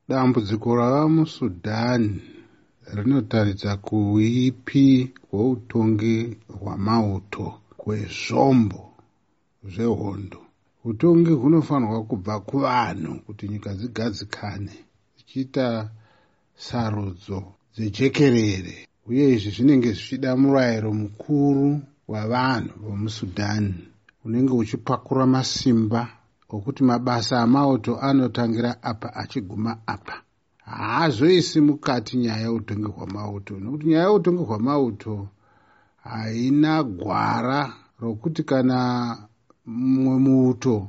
Dambudziko rava muSudan rinotaridza kuipi hweutongi hwamauto hwezvombo zvehondo. Utongi hunofanirwa kubva kuvanhu kuti nyika dzigadzikane, dzichiita sarudzo dzejekerere, uye izvi zvinenge zvichida murayiro mukuru wavanhu vomuSudan unenge uchipakura masimba okuti mabasa amauto anotangira apa achiguma apa. Haazoisi mukati nyaya yeutongi hwamauto, nokuti nyaya yeutongi hwamauto haina gwara rokuti kana mumwe muuto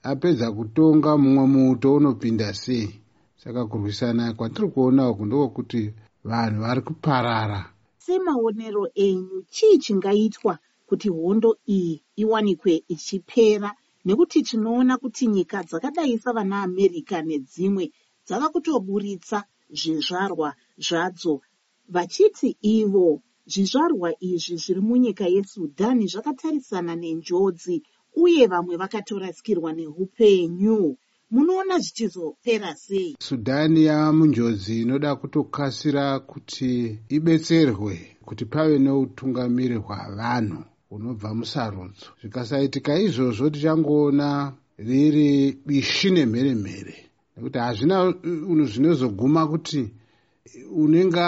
apedza kutonga, mumwe muuto unopinda sei. Saka kurwisana kwatiri kuona uku ndokwekuti vanhu vari kuparara. Semaonero enyu, chii chingaitwa kuti hondo iyi iwanikwe ichipera, nekuti tinoona kuti nyika dzakadai savana America nedzimwe dzava kutoburitsa zvizvarwa zvadzo, vachiti ivo zvizvarwa izvi zviri munyika yeSudan zvakatarisana nenjodzi uye vamwe vakatorasikirwa neupenyu? Munoona zvichizopera sei? Sudan yava munjodzi inoda kutokasira kuti ibetserwe kuti pave neutungamiri hwavanhu hunobva musarudzo. Zvikasaitika izvozvo, tichangoona riri bishi nemheremhere, nekuti hazvina zvinozoguma kuti unenge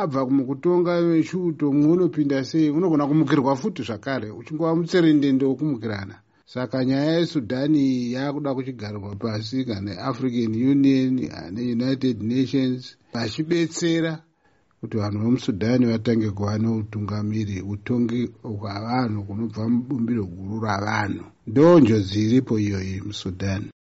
abva mukutonga vechiuto, mumwe unopinda sei, unogona kumukirwa futi zvakare, uchingova mutserendende wokumukirana. Saka nyaya yeSudhani yakuda kuchigarirwa pasi kana African Union neUnited Nations vachibetsera kuti vanhu vemuSudhani vatange kuva neutungamiri, utongi hwavanhu kunobva mubumbiro guru ravanhu. Ndo njodzi iripo iyoyi muSudhani.